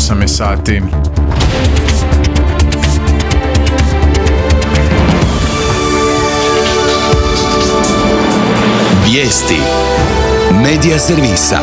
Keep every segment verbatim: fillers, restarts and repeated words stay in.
osam je sati. Vijesti Medija servisa.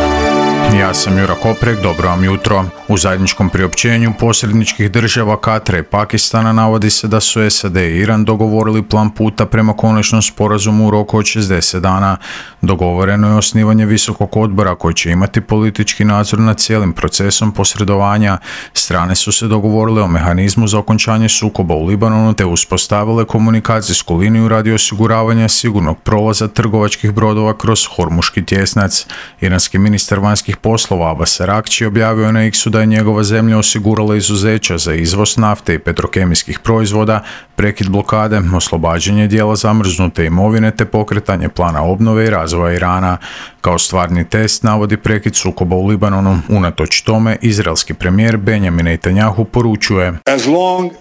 Ja sam Jura Koprek, dobro vam jutro. U zajedničkom priopćenju posredničkih država Katara i Pakistana navodi se da su S A D i Iran dogovorili plan puta prema konačnom sporazumu u roku od šezdeset dana. Dogovoreno je osnivanje visokog odbora koji će imati politički nadzor nad cijelim procesom posredovanja. Strane su se dogovorile o mehanizmu za okončanje sukoba u Libanonu te uspostavile komunikacijsku liniju radi osiguravanja sigurnog prolaza trgovačkih brodova kroz Hormuški tjesnac. Iranski ministar vanjskih poslova Abbas Araghči objavio je na X-u da je njegova zemlja osigurala izuzeća za izvoz nafte i petrokemijskih proizvoda, prekid blokade, oslobađanje dijela zamrznute imovine te pokretanje plana obnove i razvoja Irana. Kao stvarni test navodi prekid sukoba u Libanonu. Unatoč tome, izraelski premijer Benjamin Netanyahu poručuje: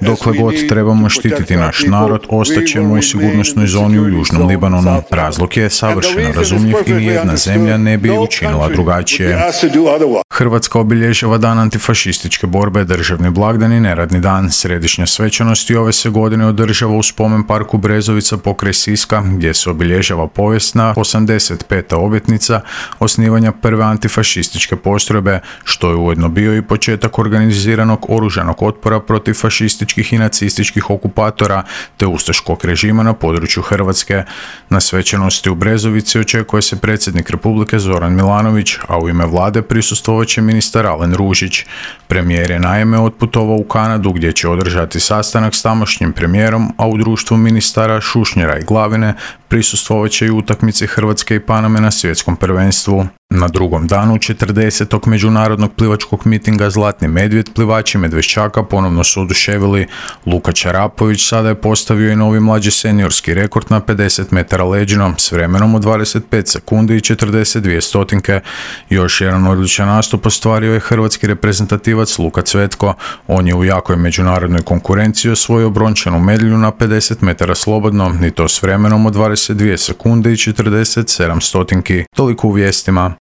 dokle god trebamo štititi naš narod, ostaćemo u sigurnosnoj zoni u Južnom Libanonu. Razlog je savršeno razumljiv i nijedna zemlja ne bi učinila drugačije. Hrvatska obilježava dan antifašističke borbe, državni blagdan i neradni dan. Središnja svečanost i ove se godine održava u spomen parku Brezovica pokraj Siska, gdje se obilježava povijesna osamdeset peta obljetnica osnivanja prve antifašističke postrojbe, što je ujedno bio i početak organiziranog oružanog otpora protiv fašističkih i nacističkih okupatora te ustaškog režima na području Hrvatske. Na svečanosti u Brezovici očekuje se predsjednik Republike Zoran Milanović, a u ime vlade prisustvovat će ministar Alen Ružić. Premijer je naime otputovao u Kanadu gdje će održati sastanak s tamošnjim premijerom, a u društvu ministara Šušnjera i Glavine prisustvovat će i utakmici Hrvatske i Paname na svjetskom prvenstvu. Na drugom danu četrdesetog međunarodnog plivačkog mitinga Zlatni medvjed plivači Medveščaka ponovno su oduševili. Luka Čarapović sada je postavio i novi mlađi seniorski rekord na pedeset metara leđno s vremenom od dvadeset pet sekundi i četrdeset dvije stotinke. Još jedan odličan nastup ostvario je hrvatski reprezentativac Luka Cvetko. On je u jakoj međunarodnoj konkurenciji osvojio brončanu medalju na pedeset metara slobodno i to s vremenom od dvadeset dvije sekunde i četrdeset sedam stotinki. Toliko u vijestima.